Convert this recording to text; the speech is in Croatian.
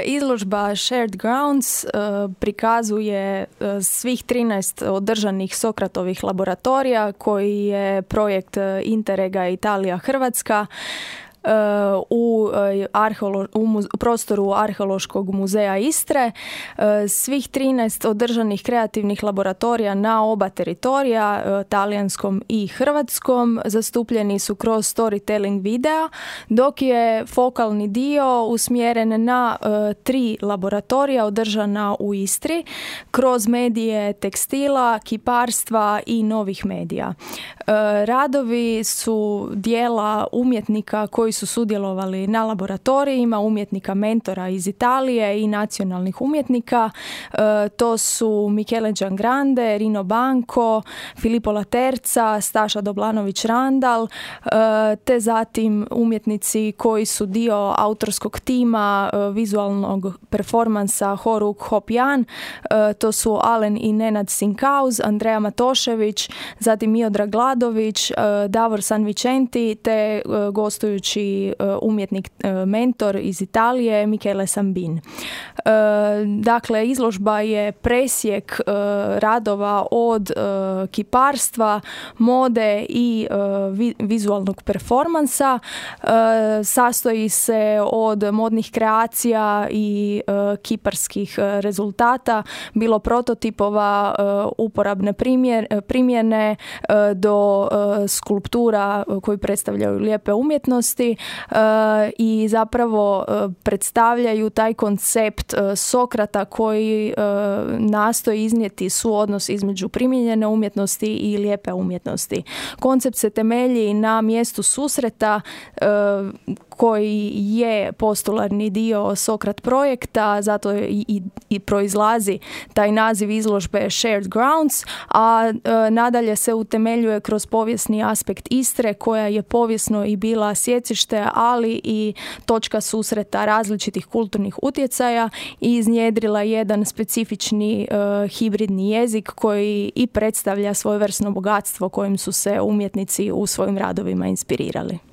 Izložba Shared Grounds prikazuje svih 13 održanih Sokratovih laboratorija koji je projekt Interrega Italija-Hrvatska u prostoru Arheološkog muzeja Istre. Svih 13 održanih kreativnih laboratorija na oba teritorija, talijanskom i hrvatskom, zastupljeni su kroz storytelling videa, dok je fokalni dio usmjeren na 3 laboratorija održana u Istri kroz medije tekstila, kiparstva i novih medija. Radovi su dijela umjetnika koji su sudjelovali na laboratorijima, umjetnika mentora iz Italije i nacionalnih umjetnika. To su Michele Giangrande, Rino Banco, Filippo Laterza, Staša Doblanović-Randal, te zatim umjetnici koji su dio autorskog tima vizualnog performansa Horuk Hopjan. To su Alen i Nenad Sinkauz, Andreja Matošević, zatim Miodrag Gladović, Davor Sanvicenti te gostujući umjetnik mentor iz Italije Michele Sambin. Dakle, izložba je presjek radova od kiparstva, mode i vizualnog performansa. Sastoji se od modnih kreacija i kiparskih rezultata, bilo prototipova, uporabne primjene do skulptura koji predstavljaju lijepe umjetnosti i zapravo predstavljaju taj koncept Sokrata koji nastoji iznijeti suodnos između primijenjene umjetnosti i lijepe umjetnosti. Koncept se temelji na mjestu susreta koji je postularni dio Sokrat projekta, zato i proizlazi taj naziv izložbe Shared Grounds, a nadalje se utemeljuje kroz povijesni aspekt Istre koja je povijesno i bila sjecište, ali i točka susreta različitih kulturnih utjecaja i iznjedrila jedan specifični hibridni jezik koji i predstavlja svojevrsno bogatstvo kojim su se umjetnici u svojim radovima inspirirali.